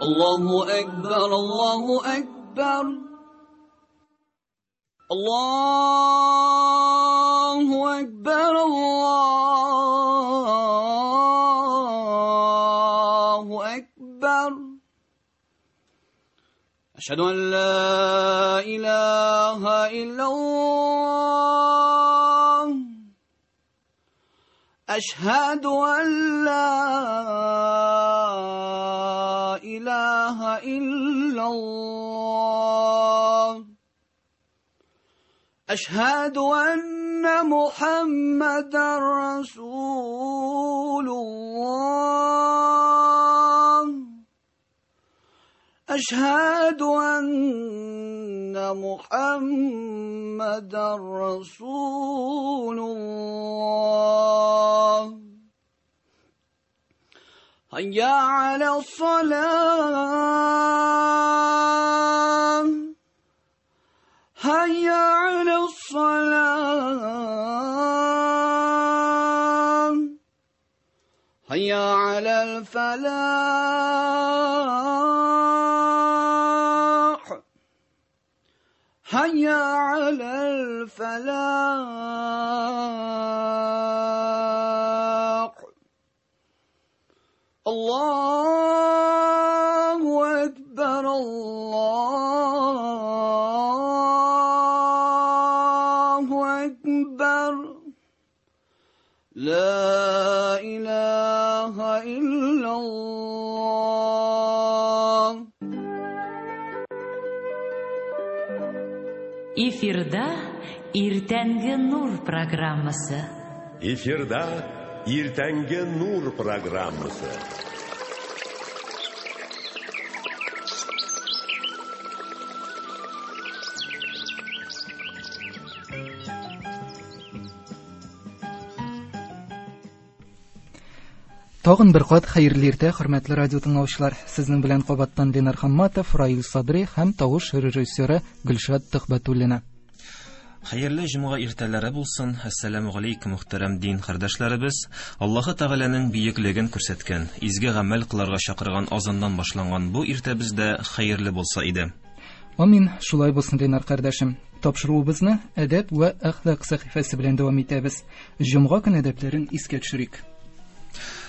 الله أكبر الله أكبر الله أكبر الله أكبر أشهد أن لا إله إلا الله أشهد أن لا إله إلا الله أشهد أن محمدا رسول الله أشهد أن محمدا رسول الله هيا على الصلاة هيا على الصلاة هيا على الفلاح هيا على الفلاح الله أكبر الله أكبر لا إله إلا الله. Эфирда Иртәнге нур программасы. Эфирда Иртәнге нур программасы. Тагын бер кат хәерле иртә, хөрмәтле радио тыңлаучылар. Сезнең белән кабаттан Ленар Хамматов, Раил Садри һәм тавыш режиссеры Гөлшат Төхбәтуллина. Хәерле җомга иртәләре булсын. Әссәламү галәйкүм, мөхтәрәм дин кардәшләребез. Аллаһы Тәгаләнең бөеклеген күрсәткән, изге гамәл кылырга чакырган азаннан башланган бу иртәбез дә хәерле булса иде. Амин, шулай булсын, Ленар кардәшем. Тапшыруыбызны әдәп вә әхлак сәхифәсе белән дәвам итәбез. Җомга көн әдәпләрен искә төшерик.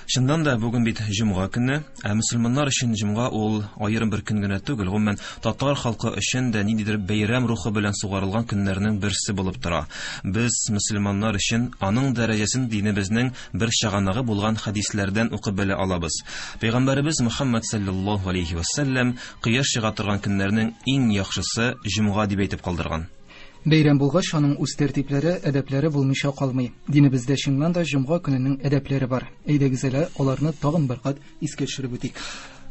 Чыннан да бүген бит җомга көне, ә мөселманнар өчен җомга ул аерым бер көн генә түгел, гомумән татар халкы өчен дә ниндидер бәйрәм рухы белән сугарылган көннәрнең берсе булып тора. Без мөселманнар өчен аның дәрәҗәсен динебезнең бер чыганагы булган хәдисләрдән укып белә алабыз. Пәйгамбәребез Мөхәммәд саллаллаһу алейхи ва саллям кояш чыга торган көннәрнең иң яхшысы җомга дип әйтеп калдырган. Бәйрәм булгач, аның үз тәртипләре, әдәпләре булмыйча калмый. Динебездә чыннан да җомга көненең әдәпләре бар. Әйдәгез әле аларны тагын бер кат искә төшереп үтик.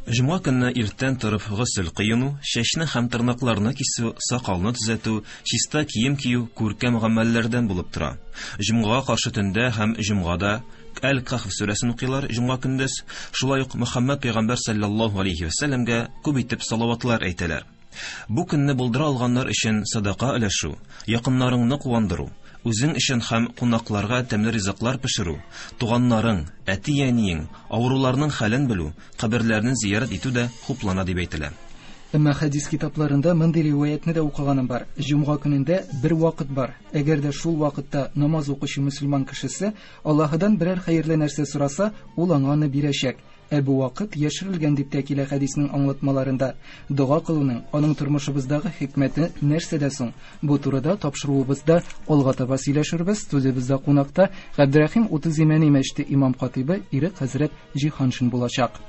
Җомга көнне иртән торып госел кыену, чәчне һәм тырнакларны кисү, сакалны төзәтү, чиста кием кию күркәм гамәлләрдән булып тора. Җомгага каршы төндә һәм җомгада Әл-Кахф сүрәсен укыйлар җомга көндез. Шулай ук Мөхәммәд пәйгамбәр саллаллаһу алейхи ва сәлләмгә күп итеп салаватлар әйтәләр. Бу көнне булдыра алганнар өчен садака өләшү, якыннарыңны куандыру, үзең өчен һәм кунакларга тәмле ризыклар пешерү, туганнарың, әти-әниең, авыруларның хәлен белү, каберләрне зиярат итү дә хуплана дип әйтелә. Әмма хәдис китапларында мондый риваятны да укыганым бар. Җомга көнендә бер вакыт бар. Әгәр дә шул вакытта намаз укучы мөселман кешесе Аллаһыдан берәр хәерле нәрсә сораса, ул аңа аны бирәчәк. Ә бу вакыт яшерелгән дип тә килә хәдиснең аңлатмаларында. Дога кылуның, аның тормышыбыздагы хикмәте нәрсәдә соң? Бу турыда тапшыруыбызда алга таба сөйләшербез. Студиябездә кунакта Габдрәхим Утыз Имәни мәчете имам хатибы Ирек хәзрәт Җиһаншин булачак.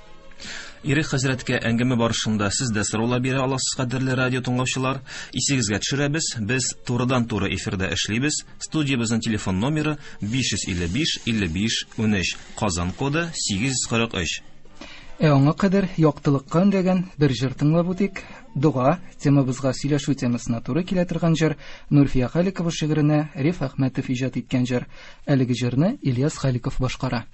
Ирек хәзрәткә әңгәмә барышында сез дә сораулар бирә аласыз, кадерле радио тыңлаучылар. Исегезгә төшерәбез, без турыдан-туры эфирда эшлибез. Студиябезнең телефон номеры 555 55 13, Казан коды 843. Ә аңа кадәр яктылыкка өндәгән бер җыр тыңлап үтик. Дога темабызга сөйләшү темасына туры килә торган җыр Нурфия Халикова шигыренә Риф Әхмәтов иҗат иткән җыр. Әлеге җырны Ильяс Халиков башкара.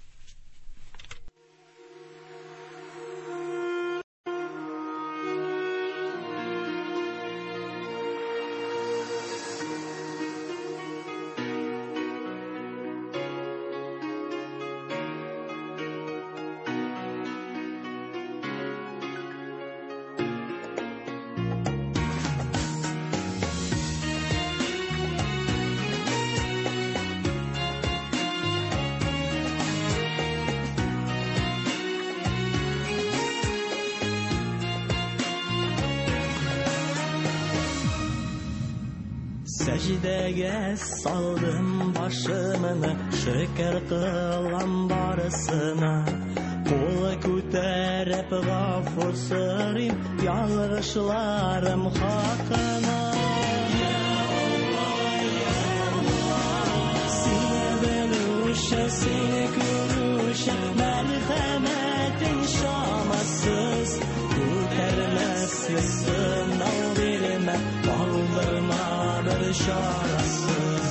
Сәҗдәгә салдым башымны, шөкер кылам барысына. Кул күтәреп гафу сорыйм ялгышларым хакына. Сине белүче, сине күрүче, мәрхәмәтең чамасыз. Күтәрмәслек сынау бирмә, калдырма бер чарасыз.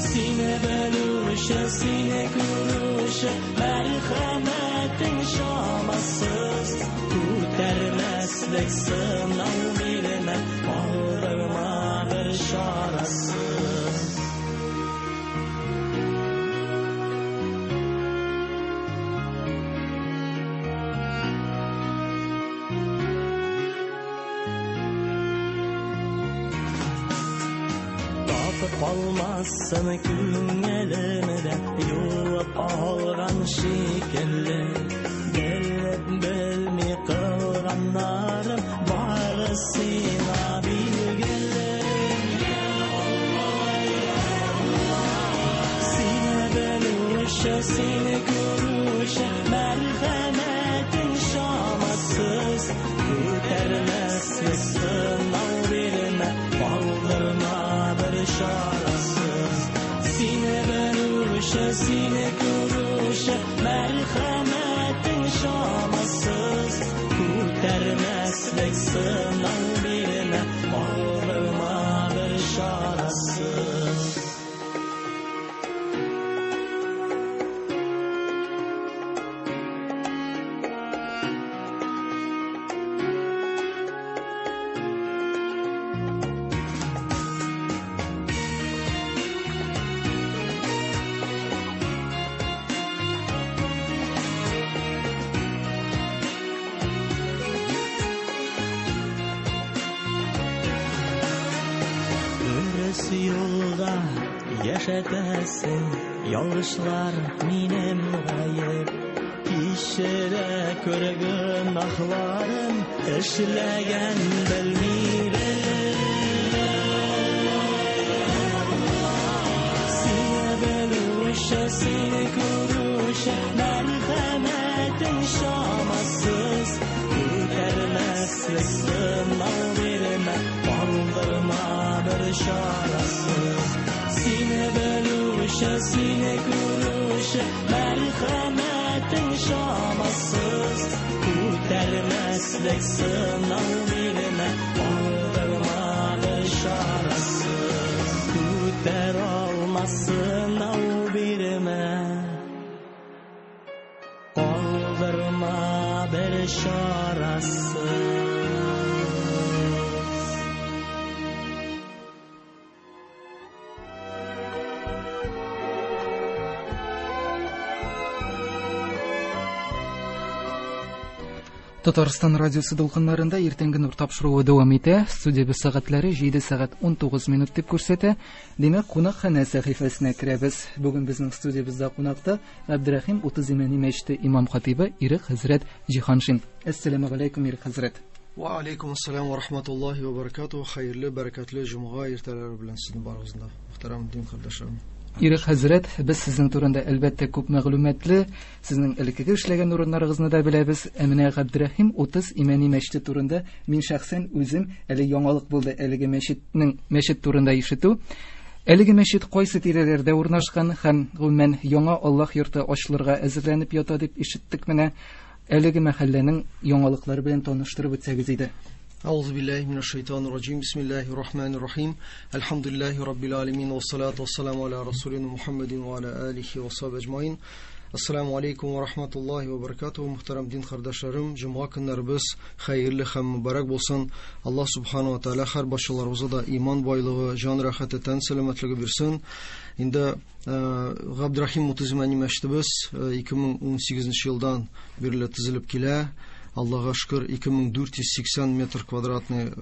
Сине белүче, сине күрүче, мәрхәмәтең чамасыз. Күтәрмәслек сынау бирмә, калдырма бер чарасыз. Калмасын күңелемдә юып алган шикелле. Белеп белми кылганнарым бары сиңа билгеле. Сине белүче, сине күрүче, мәрхәмәтең чамасыз. Күтәрмәслек сынау бирмә, калдырма бер чарасыз. Сине белүче, сине күрүче, мәрхәмәтең чамасыз. Күтәрмәслек сынау бирмә, калдырма бер чарасыз. Дөрес юлда яшәтәсең, ялгышлар минем гаеп. Кичерә күр гөнаһларым, эшләгән белми белеп. Сине белүче, сине күрүче, мәрхәмәтең чамасыз. Күтәрмәслек сынау бирмә, калдырма бер чарасыз. Сине белүче, сине күрүче, мәрхәмәтең чамасыз. Күтәрмәслек сынау бирмә, калдырма бер чарасыз. Күтәр алмас сынау бирмә, калдырма бер чарасыз. Татарстан радиосы дулкыннарында иртәнге нур тапшыруы дәвам итә. Студиябез сәгатьләре 7 сәгать 19 минут дип күрсәтә. Димәк, кунакханә сәхифәсенә керәбез. Бүген безнең студиябездә кунакта Габдрәхим Утыз Имәни мәчете имам хатибы Ирек хәзрәт Җиһаншин. Әссәламү галәйкүм, Ирек хәзрәт. Ва алейкум ассалам ва рахматуллахи ва баракатуһ. Хәерле, бәрәкәтле җомга иртәләре белән сезне барыгызны да, мөхтәрәм дин кардәшләрем. Ирек хәзрәт, без сезнең турында әлбәттә күп мәгълүматлы, сезнең элеккеге эшләгән урыннарыгызны да беләбез. Ә менә Габдрәхим Утыз Имәни мәчете турында мин шәхсән үзем әле яңалык булды әлеге мәчетнең мәчет турында ишетү. Әлеге мәчет кайсы тирәләрдә урнашкан һәм гомумән яңа Аллаһ йорты ачылырга әзерләнеп ята дип ишеттек менә. Әлеге мәхәлләнең яңалыклары белән таныштырып үтсәгез иде. أعوذ بالله من الشيطان الرجيم بسم الله الرحمن الرحيم الحمد لله رب العالمين والصلاة والسلام على رسولنا محمد وعلى آله وصحبه أجمعين Ассаламу алейкум ва рахматуллахи ва баракатуху. Мөхтәрәм дин кардәшләрем, җомга көннәребез хәерле һәм мөбарәк булсын. Аллаһ субхану ва тааля һәр барчаларыбызга да иман байлыгы, җан рәхәте, тән сәламәтлеге бирсен. Инде Габдрахим Утыз Имәни мәчетебез 2018 елдан бирле төзелеп килә. Аллаһка шөкер, 2480 метр квадратный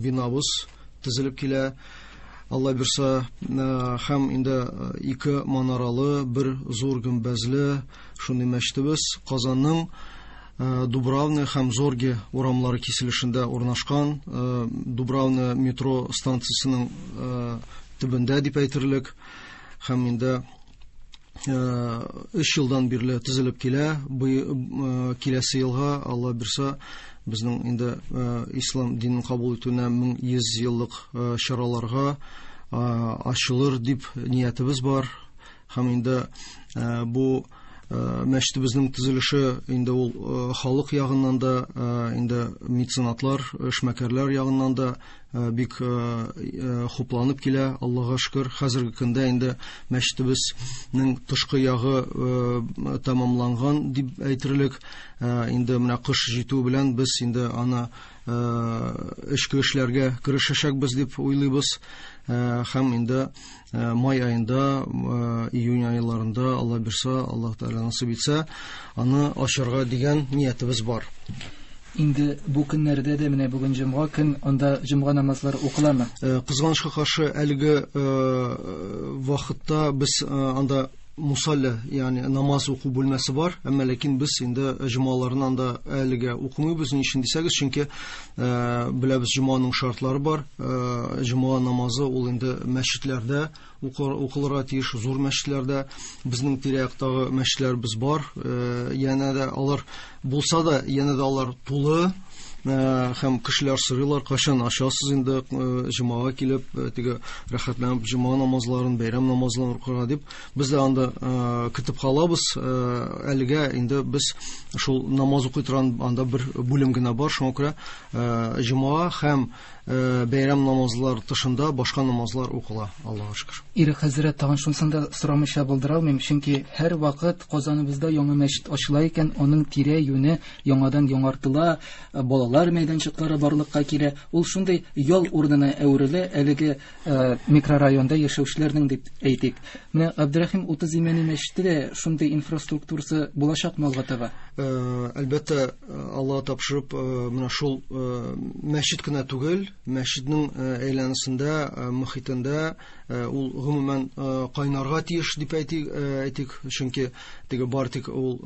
бинабыз төзелеп килә. Алла бирсә, һәм инде ике манаралы, бер зур гөмбәзле шундый мәчетебез Казанның Дубравная һәм Зорге урамлары киселешендә урнашкан, Дубравная метро станциясенең төбендә дип әйтерлек. Һәм инде 3 елдан бирле төзелеп килә. Бу киләсе елга, Алла бирса, безнең инде ислам динен кабул итүенә 1100 еллык чараларга ачылыр дип ниятебез бар. Һәм инде бу мәчетебезнең төзелеше инде ул халык ягыннан да, инде меценатлар, эшмәкәрләр ягыннан да бик хупланып килә, Аллага шөкер. Хәзерге көндә инде мәчетебезнең тышкы ягы тәмамланган дип әйтерлек. Инде менә кыш җитү белән без инде аны эчке эшләргә керешәчәкбез дип уйлыйбыз. Һәм инде май аенда, июнь айларында, Алла бирса, Аллаһ Тәгалә насыйп итсә, аны ачарга дигән ниятебез бар. Инде бу көннәрдә дә, менә бүген җомга көн, анда җомга намазлары укыламы? Кызганычка каршы, әлеге вакытта без анда мусалля, ягъни намаз уку бүлмәсе бар, әмма ләкин без инде җомгаларны анда әлегә укымыйбыз. Ни өчен дисәгез, чөнки беләбез, җомганың шартлары бар. Җомга намазы ул инде мәчетләрдә укылырга тиеш, зур мәчетләрдә. Безнең тирә-яктагы мәчетләребез бар. Янә дә алар булса да, янә дә алар тулы. Һәм кешеләр сорыйлар, кайчан ачасыз инде җомгага килеп, теге рәхәтләнеп җомга намазларын, бәйрәм намазларын укырга дип. Без дә анда көтеп калабыз. Әлегә инде без шул намаз укый торган анда бер бүлем генә бар, шуңа күрә җомга һәм бәйрәм намазлар тышында башка намазлар укыла, Аллаһка шөкер. Ирек хәзрәт, тагын шунысын да сорамыйча булдыра алмыйм, чөнки һәр вакыт Казаныбызда яңа мәчет ачыла икән, аның тирә-юне яңадан яңартыла, балалар мәйданчыклары барлыкка килә. Ул шундый ял урынына әверелә әлеге микрорайонда яшәүчеләрнең дип әйтик. Менә Габдрәхим 30 Имәни мәчете дә шундый инфраструктурасы булачакмы алга таба? Әлбәттә, Аллаһ тапшырып, менә шул мәчет кенә түгел, мәчетнең әйләнесендә, мөхитендә ул гомумән кайнарга тиеш дип әйтик, чөнки теге бар тик ул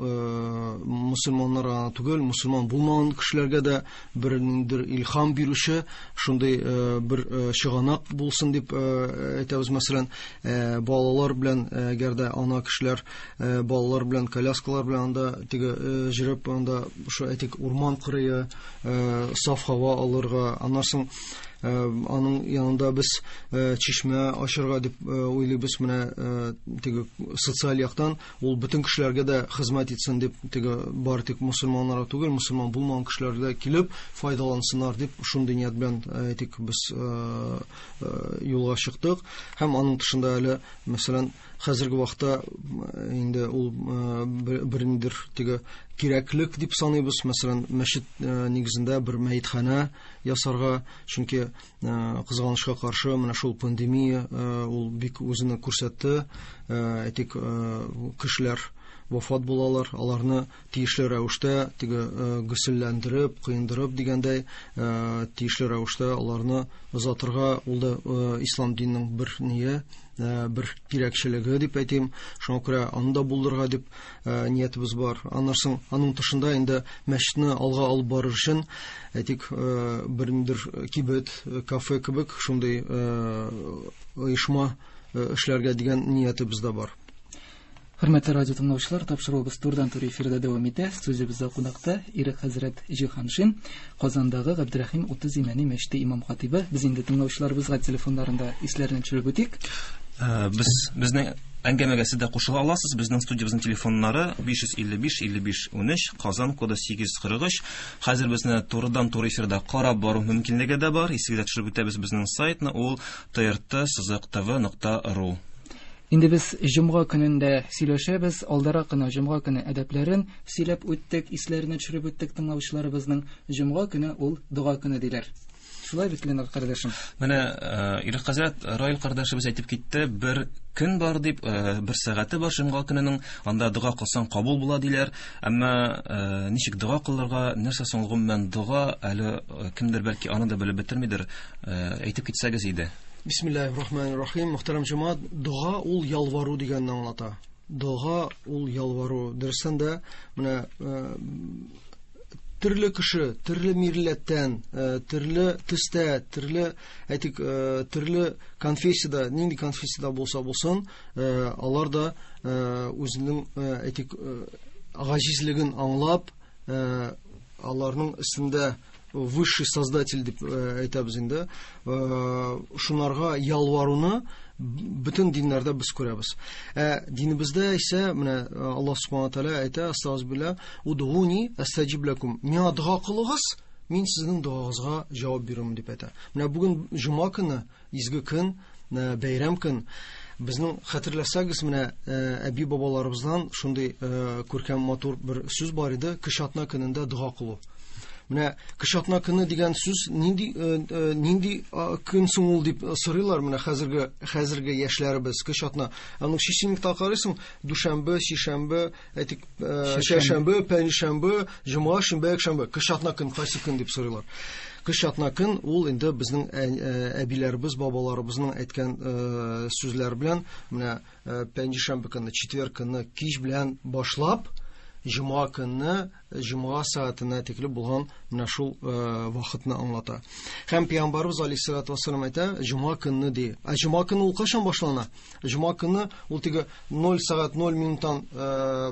мөселманнар гына түгел, мөселман булмаган кешеләргә дә бер ниндидер илһам бирүче шундый бер чыганак булсын дип әйтәбез. Мәсәлән, балалар белән, әгәр дә ана кешеләр балалар белән коляскалар белән анда теге җөреп, анда шул әйтик урман кырые, саф һава алырга, аннан соң аның янында без чишмә ачырга дип уйлыйбыз. Менә теге социаль яктан ул бөтен кешеләргә дә хезмәт итсен дип, теге бар тик мөселманнарга түгел, мөселман булмаган кешеләр дә килеп файдалансыннар дип, шундый ният белән әйтик без юлга чыктык. Һәм аның тышында әле, мәсәлән, хәзерге вакытта инде ул бернидер теге кирәклек дип саныйбыз. Мәсәлән, мәчет нигезендә бер мәетханә ясарга, чөнки кызганычка каршы менә шул пандемия ул бик үзен күрсәтте. Әйтик, кешеләр вафат булалар, аларны тиешле рәвештә теге гөселләндереп, кыендырып дигәндәй, тиешле рәвештә аларны озатырга, ул да ислам диненең бер ние, бер кирәкчелеге дип әйтим. Шуңа күрә аны да булдырырга дип ниятебез бар. Аннан соң аның тышында инде мәчетне алга алып барыр өчен, әйтик, бернидер кибет, кафе кебек шундый оешма эшләргә дигән ниятебез дә бар. Хөрмәтле радио тыңлаучылар, тапшыруыбыз турыдан-туры эфирда дәвам итә. Студиябездә кунакта Ирек хәзрәт Җиһаншин, Казандагы Габдрәхим 30 Имәни мәчете имам хатибы. Без инде тыңлаучыларыбызга телефоннарында исләрен төшереп үтик. Без безнең әңгәмәгә сез дә кушыла аласыз. Безнең студиябезнең телефоннары 555 55 13, Казан коды 843. Хәзер безне турыдан-туры эфирда карап бару мөмкинлеге дә бар. Исегезгә төшереп үтәбез безнең сайтны, ул trt-tv.ru. Инде без җомга көнендә сөйләшәбез. Алдарак кына җомга көне әдәпләрен сөйләп үттек, исләренә төшереп үттек тыңлаучыларыбызның. Җомга көне ул дога көне диләр. Шулай бит, Ленар кардәшем? Менә Ирек хәзрәт, Раил кардәшебез әйтеп китте, бер көн бар дип, бер сәгате бар җомга көненең, анда дога кылсаң кабул була диләр. Әмма ничек дога кылырга, нәрсә соң гомумән дога, әле кемдер бәлки аны да белеп бетермидер, әйтеп китсәгез иде. Бисмиллахир-рахманир-рахим. Мөхтәрәм җәмәгать, дога ул ялвару дигәнне аңлата. Дога ул ялвару. Дөрестән дә, менә Төрле кеше, төрле милләттән, төрле төстә, төрле, әйтик, төрле конфессияда, нинди конфессияда булса булсын, алар да үзенең, әйтик, гаҗизлеген аңлап, аларның өстендә высший создатель дип әйтәбез инде. Шунарга ялваруны бөтен диннәрдә без күрәбез. Ә динебездә исә менә Аллаһ субхана тәгалә әйтә, астагфирулла, удуни астаҗиб лакум. Миңа дога кылыгыз, мин сезнең догагызга җавап бирермен дип әйтә. Менә бүген җомга көне, изге көн, бәйрәм көн. Безнең хәтерләсәгез, менә әби бабаларыбыздан шундый күркәм матур бер сүз бар иде, кеше атна көнендә дога кылу. Менә кеше атна көне дигән сүз нинди нинди көн соң ул дип сорыйлар менә хәзерге яшьләребез кеше атна. Аның численникта карыйсың, дүшәмбе, сишәмбе, әйтик, чәршәмбе, пәнҗешәмбе, җомга, шимбә, якшәмбе. Кеше атна көн кайсы көн дип сорыйлар. Кеше атна көн ул инде безнең әбиләребез, бабаларыбызның әйткән сүзләре белән менә пәнҗешәмбе көнне, четверг көнне кич белән башлап, җомга көнне җомга сәгатенә тикле булган менә шул вакытны аңлата. Һәм пәйгамбәрбез алейһиссалату вассалам әйтә, җомга көнне ди. Ә җомга көне ул кайчан башлана? Җомга көне ул теге 0 сәгать 0 минуттан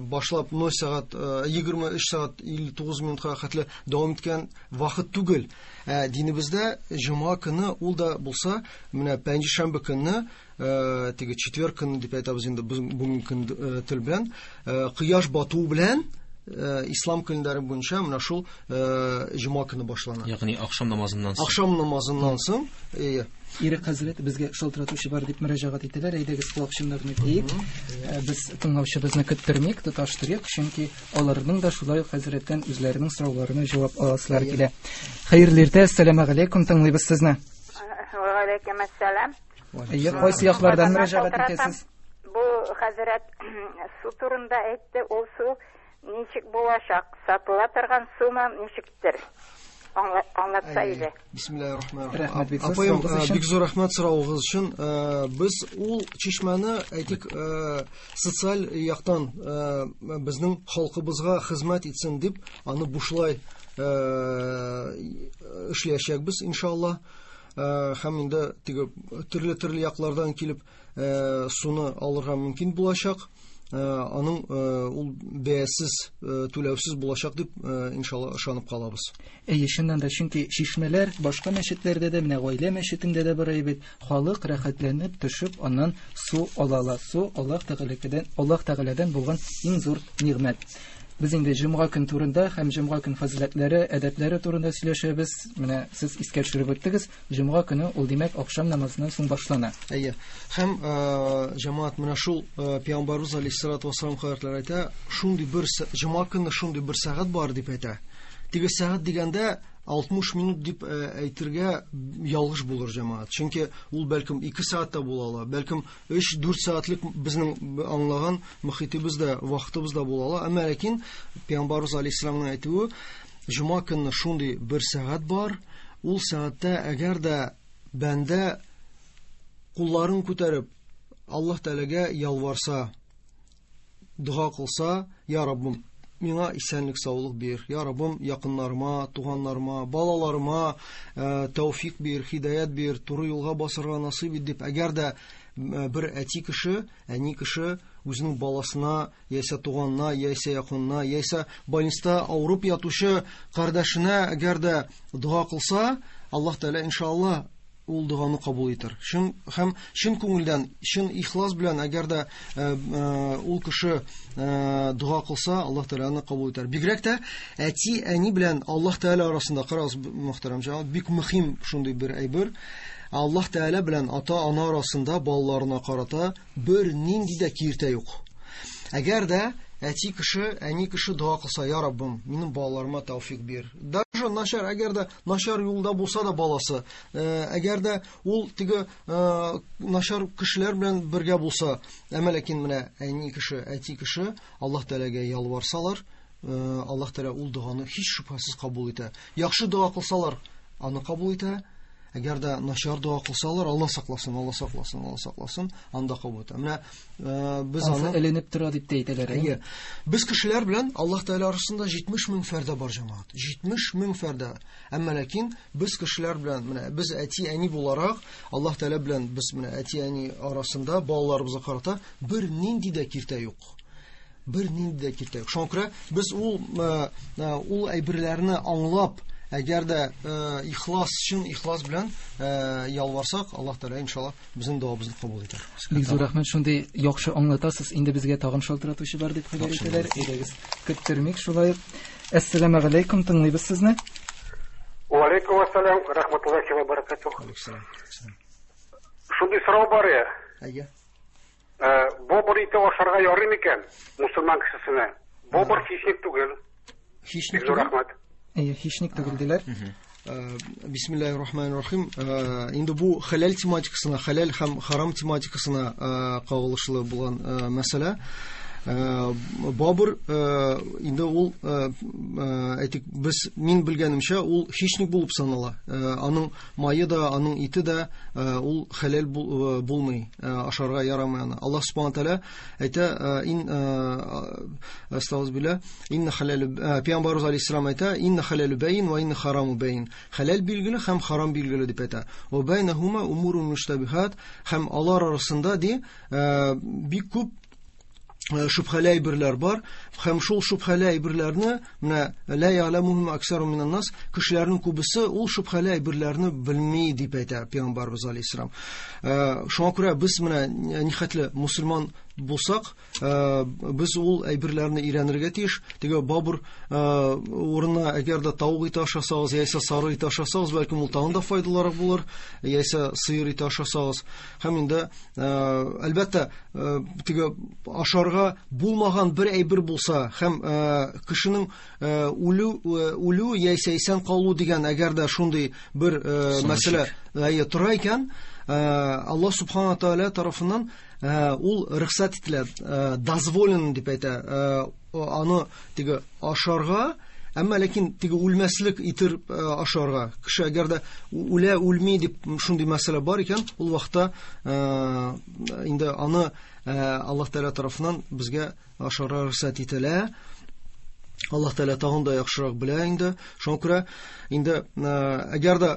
башлап 0 сәгать 23 сәгать 59 минутка хәтле дәвам иткән вакыт түгел. Ә динебездә җомга көне ул да булса, менә пәнҗешәмбе көнне, теге четверг көне дип әйтәбез инде бүгенге көн тел белән, кояш бату белән ислам көннәре буенча менә шул җомга көне башлана. Ягъни ахшам намазыннан соң. Ахшам намазыннан соң. Ирек хәзрәт, безгә шалтыратучы бар дип мөрәҗәгать итәләр. Әйдәгез колакчыннарны киик. Без тыңлаучыбызны көттермик, тоташтырыйк, чөнки аларның да шулай ук хәзрәттән үзләренең сорауларына җавап аласылар килә. Хәерле иртә, әссәламү галәйкүм, тыңлыйбыз сезне. Ва алейкум ассалам. Әйе, кайсы яклардан мөрәҗәгать итәсез? Бу хәзрәт су турында әйтте, ул су ничек булачак? Сатыла торган сумы ничектер? Аңлатса иде. Бисмиллаһир-рахманир-рахим. Апаем, бик зур рәхмәт соравыгыз өчен. Без ул чишмәне, әйтик, социаль яктан безнең халкыбызга хезмәт итсен дип, аны бушлай эшләячәкбез, иншалла. Һәм инде теге төрле-төрле яклардан килеп суны алырга мөмкин булачак. Аның ул бәясез, түләүсез булачак дип, иншалла, ышанып калабыз. Әйе, чыннан да, чөнки чишмәләр башка мәчетләрдә дә, менә гаилә мәчетендә дә бар бит. Халык рәхәтләнеп төшеп, аннан су ала ала. Су Аллаһ Тәгаләдән, Аллаһ Тәгаләдән булган иң зур нигъмәт. Без инде җомга көн турында һәм җомга көн фазиләтләре, әдәпләре турында сөйләшәбез. Менә сез искә төшереп үттегез. Җомга көне ул, димәк, ахшам намазыннан соң башлана. Әйе. Һәм җәмәгать менә шул пәйгамбәрбез алейһиссалату вассалам хәзрәтләре әйтә, шундый бер җомга көнне шундый бер сәгать бар дип әйтә. Теге сәгать дигәндә 60 минут дип әйтергә ялгыш булыр, җәмәгать. Чөнки ул бәлкем 2 сәгать тә була ала, бәлкем 3-4 сәгатьлек безнең аңлаган мөхитебездә, вакытыбызда була ала. Әмма ләкин пәйгамбәрбез алейһиссаламның әйтүе, җомга көнне шундый бер сәгать бар, ул сәгатьтә әгәр дә бәндә кулларын күтәреп Аллаһ Тәгаләгә ялварса, дога кылса, я Раббым, миңа исәнлек, саулык бир, я Раббым, якыннарыма, туганнарыма, балаларыма тәүфик бир, хидаят бир, туры юлга басырга насыйп ит дип, әгәр дә бер әти кеше, әни кеше үзенең баласына, яисә туганына, яисә якынына, яисә больниста авырып ятучы кардәшенә әгәр дә дога кылса, Аллаһ Тәгалә иншалла ул доганы кабул итер. Чын һәм чын күңелдән, чын ихлас белән әгәр дә ул кеше дога кылса, Аллаһ Тәгалә аны кабул итәр. Бигрәк тә әти, әни белән Аллаһ Тәгалә арасында, карагыз, мөхтәрәм җәмәгать, бик мөһим шундый бер әйбер. Аллаһ Тәгалә белән ата-ана арасында балаларына карата бер нинди дә киртә юк. Әгәр дә әти кеше, әни кеше дога кылса, я Раббым, минем балаларыма тәүфик бир. Даже начар, әгәр дә начар юлда булса да баласы, әгәр дә ул теге начар кешеләр белән бергә булса, әмма ләкин менә әни кеше, әти кеше Аллаһ Тәгаләгә ялварсалар, Аллаһ Тәгалә ул доганы һич шөбһәсез кабул итә. Яхшы дога кылсалар, аны кабул итә. Әгәр дә начар дога кылсалар, Алла сакласын, Алла сакласын, Алла сакласын, анда кабул итә. Менә без аны эленеп тора дип тә әйтәләр. Әйе. Без кешеләр белән Аллаһ Тәгалә арасында 70 мең фәрдә бар, җәмәгать. 70 мең фәрдә. Әмма ләкин без кешеләр белән, менә без әти-әни буларак, Аллаһ Тәгалә белән без менә әти-әни арасында балаларыбызга карата бер нинди дә киртә юк. Бер нинди дә киртә юк. Шуңа күрә без ул ул әйберләрне аңлап, әгәр дә ихлас, чын ихлас белән ялварсак, Аллаһ Тәгалә иншалла безнең догабызны кабул итәр. Бик зур рәхмәт, шундый яхшы аңлатасыз. Инде безгә тагын шалтыратучы бар дип хәбәр итәләр. Әйдәгез, көттермик шулай ук. Әссәламу алейкум, тыңлыйбыз сезне. Ва алейкум ассалам, рахматуллахи ва баракатух. Алейкум. Шундый сорау бар я. Әйе. Бобыр ите ашарга ярый микән мусульман кешесенә? Бобыр хищник түгел. Хищник түгел. Рәхмәт. Әйе, хищник түгел диләр. Бисмиллахир рахманир рахим. Инде бу хәләл тематикасына, хәләл һәм харам тематикасына кагылышлы булган мәсьәлә. Бабыр инде ул, әйтик, без мин белгәнемчә, ул хищник булып санала. Аның мае да, аның ите дә ул хәләл булмый, ашарга ярамый аны. Аллаһ субхана тааля әйтә, ин астагфирулла, инна халалу, пәйгамбәрбез алейһиссалам әйтә, инна халалу бәйин ва инна хараму бәйин. Хәләл билгеле һәм харам билгеле дип әйтә. Ва бәйнәһума умурун муштабихат, һәм алар арасында ди бик күп шубхәле әйберләр бар, һәм шул шубхәле әйберләрне менә ла я'ламухум аксару минан нас, кешеләрнең күбесе ул шубхәле әйберләрне белми дип әйтә пәйгамбәрбез алейһиссалам. Шуңа күрә без менә нихәтле мусульман булсак, без ул әйберләрне өйрәнергә тиеш. Теге бабыр урынына әгәр дә тавык ите ашасагыз, яисә сары ите ашасагыз, бәлкем ул тагын да файдалырак булыр, яисә сыер ите ашасагыз. Һәм инде әлбәттә, теге ашарга булмаган бер әйбер булса, һәм кешенең үлү яисә исән калу дигән әгәр дә шундый бер мәсьәлә тора икән, Аллаһ субхана тааля тарафыннан ул рөхсәт ителә, дозволен дип әйтә, аны теге ашарга, әмма ләкин теге үлмәслек итер ашарга. Кеше әгәр дә үлә, үлми дип шундый мәсьәлә бар икән, ул вакытта инде аны Аллаһ Тәгалә тарафыннан безгә ашарга рөхсәт ителә. Аллаһ Тәгалә тагын да яхшырак белә инде. Шуңа күрә инде әгәр дә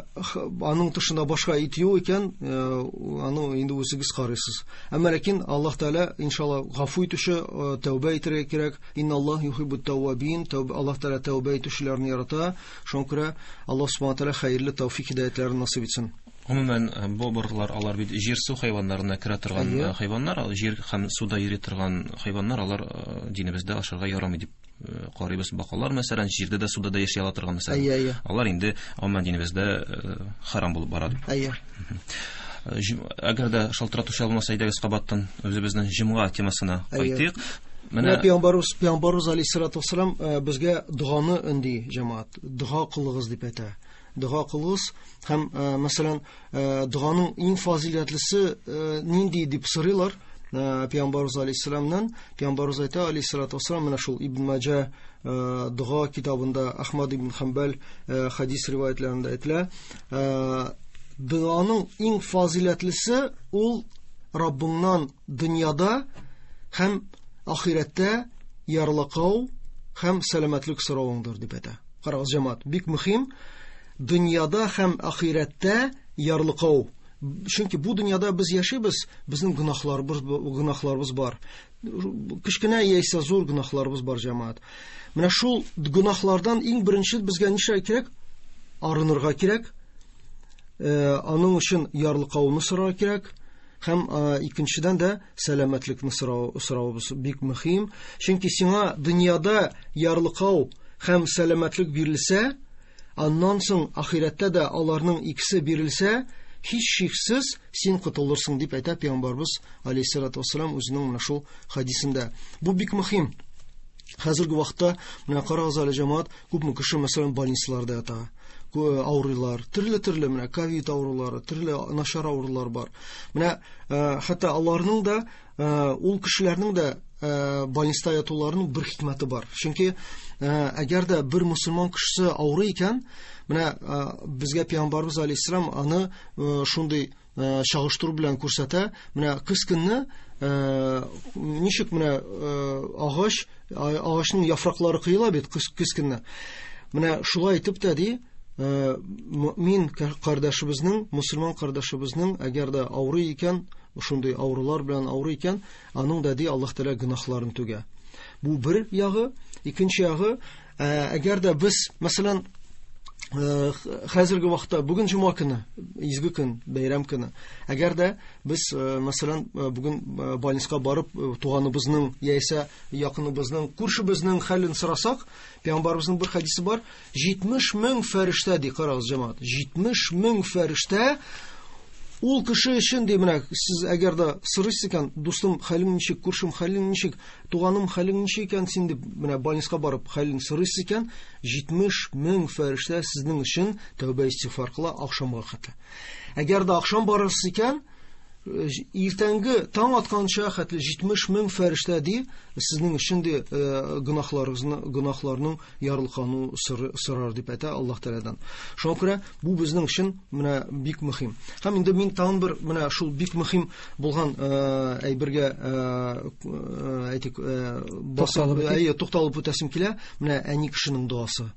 аның тышында башка ит юк икән, аны инде үзегез карыйсыз. Әмма ләкин Аллаһ Тәгалә иншалла гафу итүче, тәүбә итәргә кирәк. Инналлаһ юхиббут тәввабин. Аллаһ Тәгалә тәүбә итүчеләрне ярата. Шуңа күрә Аллаһ субхана тәгалә хәерле тәүфик һидаятләрен насыйп итсен. Гомумән, бобырлар алар бит җир-су хайваннарына керә торган хайваннар, җир һәм суда йөри торган хайваннар, алар динебездә ашарга ярамый дип карыйбыз. Бакалар, мәсәлән, җирдә дә, суда да яши ала торган, мәсәлән. Алар инде гомумән динебездә харам булып бара дип. Әгәр дә шалтыратучы алмаса, әйдәгез кабаттан үзебезнең җомга темасына кайтыйк. Менә Пәйгамбәрбез алейһиссалату вассалам безгә доганы өнди, җәмәгать. Дога кылыгыз дип әйтә. Дога кылыгыз һәм, мәсәлән, доганың иң фазиләтлесе нинди дип сорыйлар Пәйгамбәрбез алейһиссаламнан. Пәйгамбәрбез әйтә алейһиссалату вассалам, менә шул Ибн Маҗа дога китабында, Ахмад ибн Ханбал хадис риваятларында әйтелә, доганың иң фазиләтлесе ул Раббыңнан дөньяда һәм ахирәттә ярлыкау һәм сәламәтлек соравыңдыр дип әйтә. Карагыз, җәмәгать, бик мөһим. Дөньяда һәм ахирәттә ярлыкау. Чөнки бу дөньяда без яшибез, безнең гөнаһларыбыз бар. Кечкенә яисә зур гөнаһларыбыз бар, җәмәгать. Менә шул гөнаһлардан иң беренче безгә нишләргә кирәк? Арынырга кирәк. Аның өчен ярлыкауны сорарга кирәк. Һәм икенчедән дә сәламәтлекне соравыбыз бик мөһим. Чөнки сиңа дөньяда ярлыкау һәм сәламәтлек бирелсә, аннан соң ахирәттә дә аларның икесе бирелсә, һичшиксез син котылырсың дип әйтә Пәйгамбәрбез алейһиссалату вассалам үзенең менә шул хадисендә. Бу бик мөһим. Хәзерге вакытта менә карагыз әле, җәмәгать, күпме кеше мәсәлән больницаларда ята, авырыйлар, төрле-төрле менә ковид авырулары, төрле начар авырулар бар. Менә хәтта аларның да, ул кешеләрнең дә больниста ятуларының бер хикмәте бар. Чөнки әгәр дә бер мусульман кешесе авырый икән, менә безгә пәйгамбәрбез алейһиссалам аны шундый чагыштыру белән күрсәтә. Менә көз көнне ничек менә агачның яфраклары коела бит көз көнне. Менә шулай итеп тә ди, мөмин кардәшебезнең, мусульман кардәшебезнең әгәр дә авырый икән, шундый авырулар белән авырый икән, аның да ди Аллаһ Тәгалә гөнаһларын түгә. Бу бер ягы, икенче ягы, әгәр дә без, мәсәлән, хәзерге вакытта бүген җомга көне, изге көн, бәйрәм көне. Әгәр дә без, мәсәлән, бүген больницага барып туганыбызның яисә якыныбызның, күршебезнең хәлен сорасак, пәйгамбәребезнең бер хәдисе бар, 70 мең фәрештә ди, карагыз, җәмәгать, 70 мең фәрештә ул кеше өчен ди, менә сез әгәр дә сорыйсыз икән, дустым, хәлең ничек, күршем, хәлең ничек, туганым, хәлең ничек икән син дип, менә больницага барып хәлен сорыйсыз икән, 70 мең фәрештә сезнең өчен тәүбә истигъфар кыла ахшамга хәтле. Әгәр дә ахшам барырсыз икән, иртәнге таң атканча хәтле 70 мең фәрештә ди, сезнең өчен ди гөнаһларыгызны, гөнаһларның ярлыкану сорар дип әйтә Аллаһ Тәгаләдән. Шуңа күрә бу безнең өчен менә бик мөһим. Һәм инде мин тагын бер менә шул бик мөһим булган әйбергә әйтик, тукталып үтәсем килә, менә әни кешенең дуасы.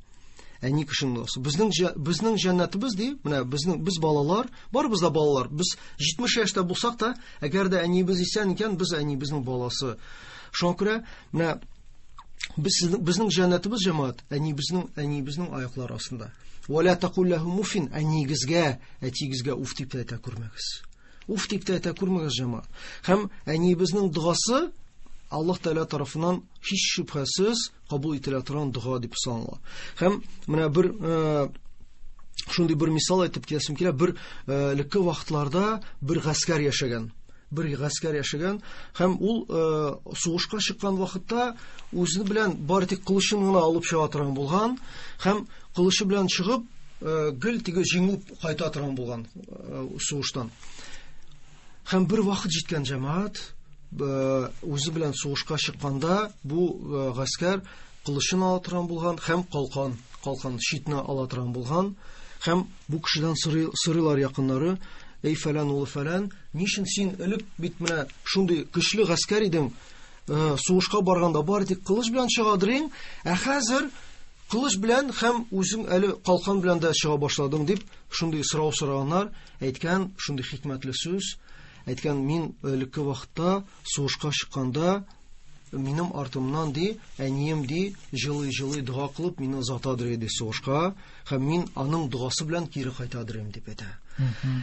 Әни кешенең дуасы. Безнең җәннәтебез ди, менә без балалар, барыбыз да балалар. Без 70 яшьтә булсак та, әгәр дә әниебез исән икән, без әниебезнең баласы. Шуңа күрә менә безнең җәннәтебез, җәмәгать, әниебезнең аяклары астында. Ва ла тақул лахум уфин, әниегезгә, әтиегезгә уф дип тә әйтә күрмәгез. Уф дип тә әйтә күрмәгез, җәмәгать. Һәм әниебезнең догасы Аллаһ Тәгалә тарафыннан һич шөбһәсез кабул ителә торган дога дип санала. Һәм менә бер шундый бер мисал әйтеп китәсем килә. Бер элекке вакытларда бер гаскәр яшәгән. Бер гаскәр яшәгән һәм ул сугышка чыккан вакытта үзе белән бары тик кылычын гына алып чыга торган булган һәм кылычы белән чыгып гел теге җиңү кайта торган булган сугыштан. Һәм бер вакыт җиткән, җәмәгать, үзе белән сугышка чыкканда бу гаскәр кылычын ала торган булган һәм калкан щитны ала торган булган. Һәм бу кешедән сорыйлар якыннары: "Эй фәлән улы фәлән, ни өчен син элек бит менә шундый көчле гаскәр идең, сугышка барганда бары тик кылыч белән чыгадырың, ә хәзер кылыч белән һәм үзең әле калкан белән дә чыга башладың" дип шундый сорау сораганнар. Әйткән шундый хикмәтле сүз, әйткән: "Мин элекке вакытта сугышка чыкканда минем артымнан ди, әнием ди, җылый-җылый дога кылып мине озатадыр иде сугышка, һәм мин аның догасы белән кире кайтадыр идем" дип әйтә.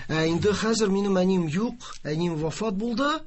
Ә инде хәзер минем әнием юк, әнием вафат булды,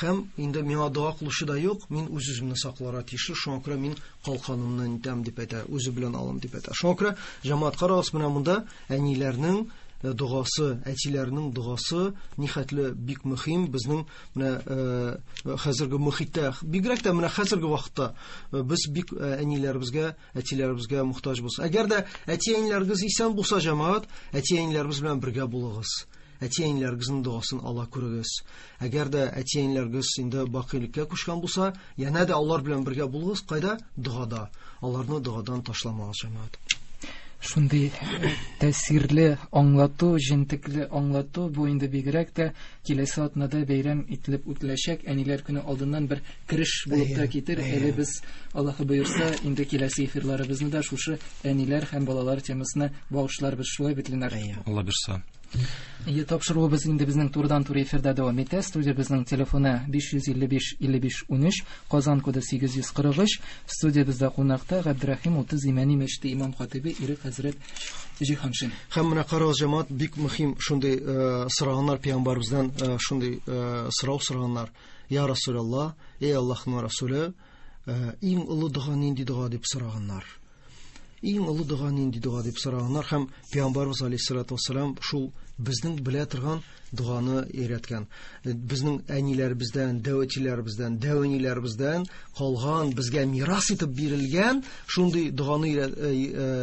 һәм инде миңа дога кылучы да юк, мин үз-үземне сакларга тиешле, шуңа күрә мин калканымны нитәм дип әйтә, үзе белән алам дип әйтә. Шуңа күрә, җәмәгать, карагыз, менә монда әниләрнең догасы, әтиләрнең догасы нихәтле бик мөһим безнең менә хәзерге мөхиттә, бигрәк тә менә хәзерге вакытта без бик әниләребезгә, әтиләребезгә мохтаҗбыз. Әгәр дә әти-әниләрегез исән булса, җәмәгать, әти-әниләребез белән бергә булыгыз. Әти-әниләрегезнең догасын ала күрегез. Әгәр дә әти-әниләрегез инде бакыйлыкка күчкән булса, янә дә алар белән бергә булыгыз, кайда? Догада. Аларны догадан ташламагыз, җәмәгать. Шундый тәэсирле аңлату, җентекле аңлату, бу инде бигрәк тә киләсе атнада бәйрәм ителеп үтеләчәк Әниләр көне алдыннан бер кереш булып та китер. Әле без, Аллаһы боерса, инде киләсе эфирларыбызны да шушы әниләр һәм балалар темасына багышларбыз. Шулай бит, Ленар? Алла бирса. Ие, тапшыруыбыз инде безнең турыдан-туры эфирда дәвам итә. Студиябезнең телефоны 555 55 13, Казан коды 843. Студиябездә кунакта Габдрахим 30 Имәни мәчете имам хатибе Ирек хәзрәт Җиһаншин. Һәм менә карагыз, җәмәгать, бик мөһим шундый сораганнар пәйгамбәребездән, шундый сорау сораганнар. Я Расулаллаһ, эй Аллаһның Расуле, иң олы дога нинди дога дип сораганнар. Иң олы дога нинди дога дип сораганнар һәм Пәйгамбәрбез алейһиссалату вассалам шул безнең белә торган доганы өйрәткән. Безнең әниләребездән, дәү әтиләребездән, дәү әниләребездән калган, безгә мирас итеп бирелгән шундый доганы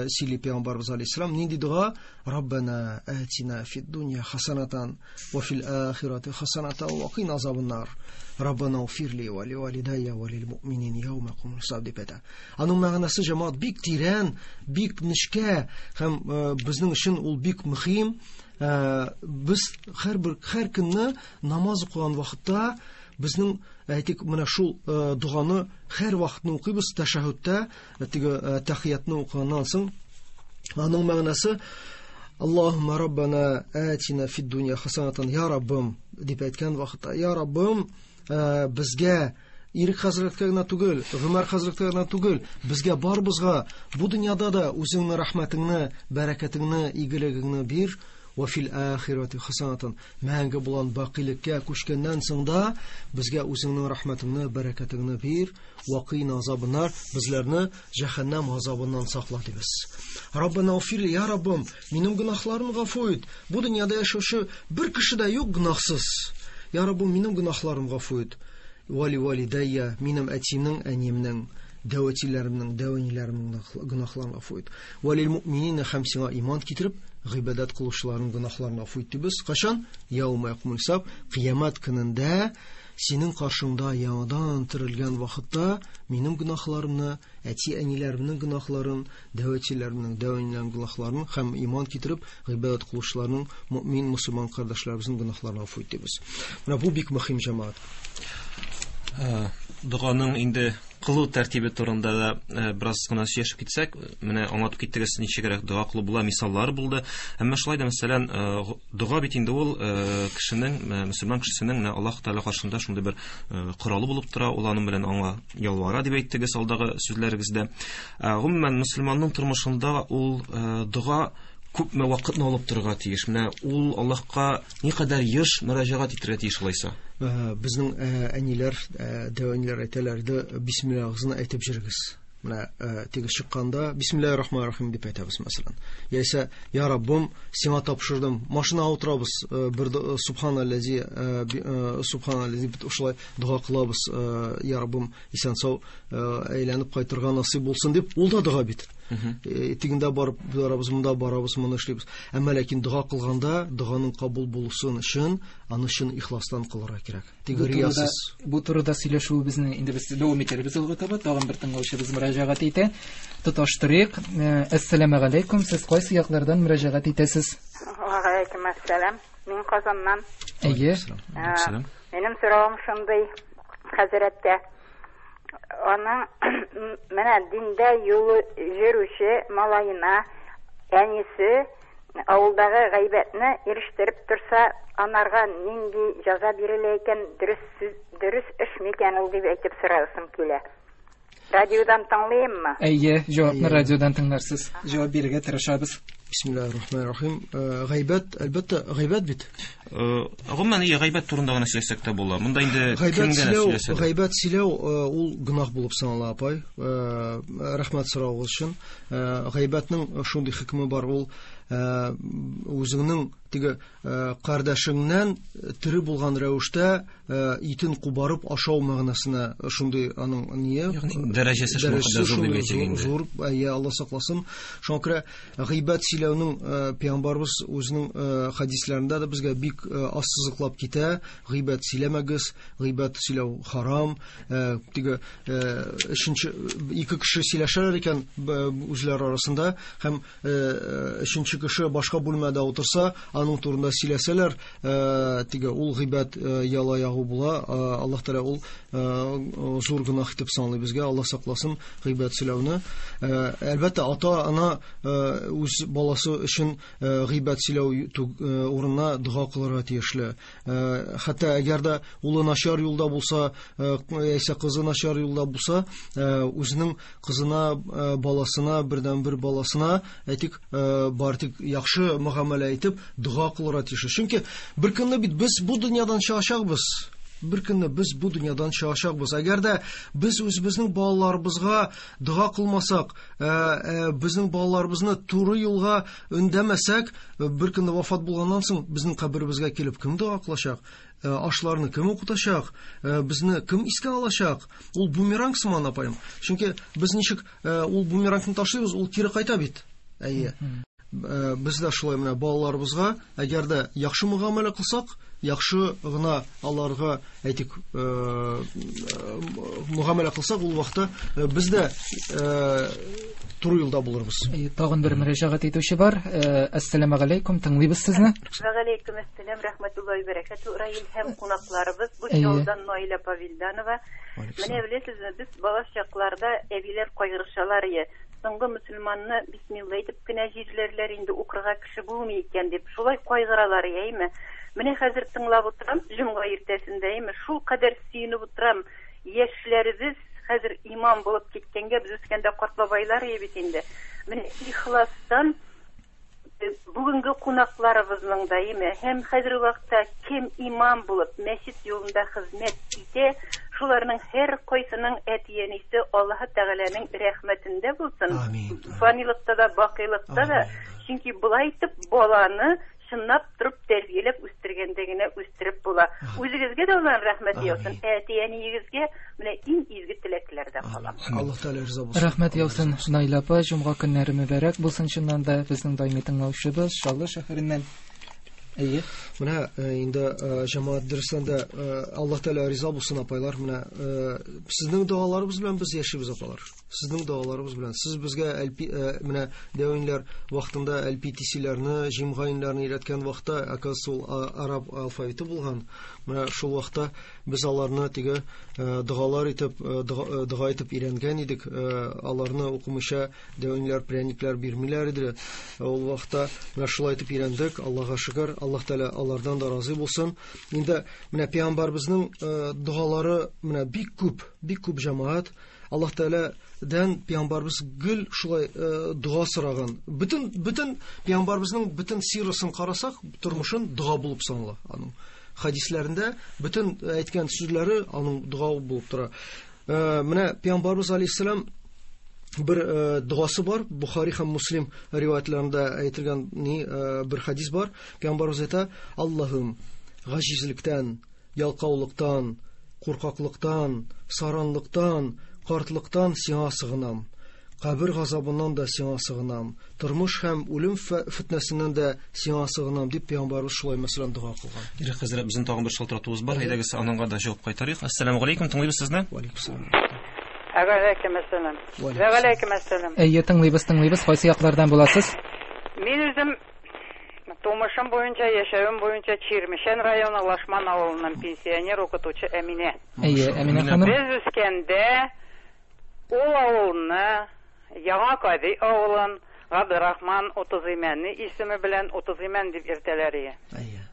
сөйли Пәйгамбәрбез алейһиссалам. Нинди дога? Раббана атина фид дунья хасанатан ва фил ахирати хасанатан ва кина азабаннар. Раббана уфирли ва ли валидайя ва лил муъминин яума якумул хисаб дип әйтә. Аның мәгънәсе, җәмәгать, бик тирән, бик нечкә һәм безнең өчен ул бик мөһим. Без һәр көнне намаз укыган вакытта безнең, әйтик, менә шул доганы һәр вакытны укыйбыз тәшәһүдтә, теге тәхиятны укыганнан соң. Аның мәгънәсе: Аллаһумма раббана атина фид дунья хасанатан, я Раббым дип әйткән вакытта, я Раббым, безгә, Ирек хәзрәткә генә түгел, Гомәр хәзрәткә генә түгел, безгә барыбызга бу дөньяда да үзеңнең рәхмәтеңне, бәрәкәтеңне, игелегеңне бир. Ва фил ахирати хасанатан, мәңге булган бакыйлыкка күчкәннән соң да безгә үзеңнең рәхмәтеңне, бәрәкәтеңне бир. Ва кина азабыннар, безләрне җәһәннәм азабыннан сакла дибез. Раббана уфир, я Раббым, минем гөнаһларымны гафу ит. Бу дөньяда яшәүче бер кеше дә юк гөнаһсыз. Я Раббым, минем гөнаһларымны гафу ит. Вали валидайя, минем әтиемнең, әниемнең, дәү әтиләремнең, дәү әниләремнең гөнаһларын гафу ит. Валил муъминина, һәм сиңа иман китереп гыйбадәт кылучыларның гөнаһларын гафу ит дибез. Кашан? Яума якумул хисаб, кыямәт көнендә синең каршыңда яңадан терелгән вакытта минем гөнаһларымны, әти-әниләремнең гөнаһларын, дәү әтиләремнең, дәү әниләремнең гөнаһларын һәм иман китереп гыйбадәт кылучыларның, мөмин мөселман кардәшләребезнең гөнаһларын гафу ит дибез. Менә бу бик мөһим, җәмәгать. Доганың инде кылу тәртибе турында да бераз гына сөйләшеп китсәк, менә аңлатып киттегез, ничегрәк дога кылу була, мисаллар булды. Әмма шулай да, мәсәлән, дога бит инде ул кешенең, мөселман кешесенең менә Аллаһ Тәгалә каршында шундый бер коралы булып тора, ул аның белән аңа ялвара дип әйттегез алдагы сүзләрегездә. Гомумән, мөселманның тормышында ул дога күпме вакытны алып торырга тиеш? Менә ул Аллаһка никадәр еш мөрәҗәгать итәргә тиеш алайса? Безнең әниләр, дәү әниләр әйтәләр иде: бисмиллаһыгызны әйтеп йөрегез. Менә теге чыкканда бисмиллаһир рахманир рахим дип әйтәбез, мәсәлән. Яисә я Раббым, сиңа тапшырдым. Машинага утырабыз, бер субханаллази, субханаллази бит шулай дога кылабыз, я Раббым, исән-сау әйләнеп кайтырга насыйп булсын дип, ул да дога бит. Тегендә барып барабыз, монда барабыз, моны эшлибез. Әмма ләкин дога кылганда, доганың кабул булсын өчен, аны чын ихластан кылырга кирәк. Теге риясыз. Бу турыда сөйләшүебезне инде без дәвам итәрбез алга таба. Тагын бер тыңлаучыбыз мөрәҗәгать итә. Тоташтырыйк. Әссәламу алейкум. Сез кайсы яклардан мөрәҗәгать итәсез? Ва алейкум ассалам. Мин Казаннан. Әйе. Минем соравым шундый, хәзрәткә. Аның менә диндә юлы йөрүче малаена әнисе авылдагы гайбәтне ирештереп торса, анарга нинди җәза бирелә икән, дөрес сүз, дөрес эш микән ул дип әйтеп сорасым килә. Радиодан тыңлыйммы? Әйе, җавапны радиодан тыңларсыз. Җавап бирергә тырышабыз. Бисмиллаһир рахманир рахим. Гайбәт, әлбәттә, гайбәт бит. Гомумән, гайбәт турында гына сөйләсәк тә була. Монда инде кем генә сөйләсә дә. Гайбәт сөйләү ул гөнаһ булып санала, апай. Рәхмәт соравыгыз өчен. Гайбәтнең шундый хөкеме бар, ул үзеңнең теге кардәшеңнән тере булган рәвештә итен кубарып ашау мәгънәсенә шундый аның ние. Ягъни дәрәҗәсе шундый зур дип әйтик инде. Зур, әйе, Алла сакласын. Шуңа күрә гыйбәт сөйләүнең пәйгамбәрбез үзенең хәдисләрендә дә безгә бик ассызыклап китә. Гыйбәт сөйләмәгез, гыйбәт сөйләү харам. Теге өченче ике кеше сөйләшәләр икән үзләре арасында һәм өченче кеше башка бүлмәдә утырса, аның турында сөйләсәләр, теге ул гыйбәт яла ягу була. Аллаһ Тәгалә ул зур гөнаһ итеп саный безгә. Аллаһ сакласын гыйбәт сөйләүне. Әлбәттә, ата-ана үз баласы өчен гыйбәт сөйләү урынына дога кылырга тиешле. Хәтта әгәр дә улы начар юлда булса, яисә кызы начар юлда булса, үзенең кызына, баласына, бердәнбер баласына, әйтик, бар тик яхшы мөгамәлә итеп дога кылырга тиеш. Чөнки бер көнне бит без бу дөньядан чыгачакбыз. Бер көнне без бу дөньядан чыгачакбыз. Әгәр дә без үзебезнең балаларыбызга дога кылмасак, безнең балаларыбызны туры юлга өндәмәсәк, бер көнне вафат булганнан соң безнең каберебезгә килеп кем дога кылачак? Ашларны кем укытачак? Безне кем искә алачак? Ул бумеранг сыман, апаем. Чөнки без ничек ул бумерангны ташлыйбыз, ул кире кайта бит. Әйе. Без дә шулай менә балаларыбызга, әгәр дә яхшы мөгамәлә кылсак, яхшы гына аларга әйтик, мөгамәлә кылсак, ул вакытта без дә туры юлда булырбыз. Тагын бер мөрәҗәгать итүче бар. Әссәламү галәйкүм, тыңлыйбыз сезне. Ва галәйкүм әссәлам, рәхмәтуллаһи бәрәкәтү. Раил һәм кунакларыбыз, бу Чаллыдан Наилә Павилданова. Менә беләсезме, без бала чакларда әбиләр кайгырышалар иде. Соңгы мөселманны бисмилла әйтеп кенә җирләрләр инде, укырга кеше булмый икән дип, шулай кайгыралар, әйме? Менә хәзер тыңлап утырам, җомга иртәсендә, әйме? Шул кадәр сөенеп утырам. Яшьләребез хәзер имам булып киткәнгә, без үскәндә карт бабайлар иде бит инде. Менә ихластан бүгенге кунакларыбызның да, әйме, һәм хәзерге вакытта кем имам булып мәчет юлында хезмәт итә, шуларның һәр кайсының әти-әнисе Аллаһы Тәгаләнең рәхмәтендә булсын. Амин. Фанилыкта да, бакыйлыкта да. Чөнки болай итеп баланы чынлап торып тәрбияләп үстергәндә генә үстереп була. Үзегезгә дә Аллаһның рәхмәте яусын, әти-әниегезгә менә иң изге теләкләр дә калам. Аллаһ Тәгалә риза булсын. Рәхмәт яусын, Наилә апа, җомга көннәре мөбарәк булсын чыннан да, безнең даими тыңлаучыбыз Чаллы шәһәреннән. Әйе. Менә инде җәмәгать дөрестән дә Аллаһ Тәгалә риза булсын, апайлар. Менә сезнең догаларыбыз белән без яшибез, апалар. Сезнең догаларыбыз белән. Сез безгә менә дәвинләр вакытында LPTC-ләрне, җимгаинләрне өйрәткән вакытта, оказывается, ул араб алфавиты булган. Менә шул вакытта без аларны теге догалар итеп, дога итеп өйрәнгән идек. Аларны укымыйча дәвинләр, пряниклар бирмиләр иде. Ул вакытта менә шулай итеп өйрәндек. Аллаһка шөкер, Аллаһ Тәгалә алардан да разый булсын. Инде менә пәйгамбәребезнең догалары менә бик күп, бик күп җәмәгать. Аллаһ Тәгаләдән пәйгамбәребез гел шулай дога сораган. Бөтен пәйгамбәребезнең бөтен сирасын карасак, тормышын дога булып санала аның. Хадисләрендә бөтен әйткән сүзләре аның дога булып тора. Менә пәйгамбәребез алейһиссалам бер догасы бар, Бухари һәм Муслим риваятларында әйтелгән бер хадис бар. Пәйгамбәребез әйтә: Аллаһым, гаҗизлектән, ялкаулыктан, куркаклыктан, саранлыктан, картлыктан сиңа сыгынам. Кабер газабыннан да сиңа сыгынам. Тормыш һәм үлем фитнәсеннән дә сиңа сыгынам, дип пәйгамбәребез шулай мәсәлән дога кылган. Ирек хәзрәт, безнең тагын бер шалтыратуыбыз бар. Әйдәгез, аныңга да җавап кайтарыйк. Ассаламу алейкум, тыңлыйбыз сезне. Ва алейкум ассалам. Ва алейкум ассалам. Ва алейкум ассалам. Әйе, тыңлыйбыз, тыңлыйбыз. Кайсы яклардан буласыз? Мин үзем тумышым буенча, яшәвем буенча Чирмешән районы Лашман авылыннан пенсионер укытучы Әминә. Әйе, Әминә ханым. Без үскәндә ул авылны, Яңа Кади авылын Габдрахман Утызимәнни исеме белән Утызимән дип йөртәләр иде. Әйе.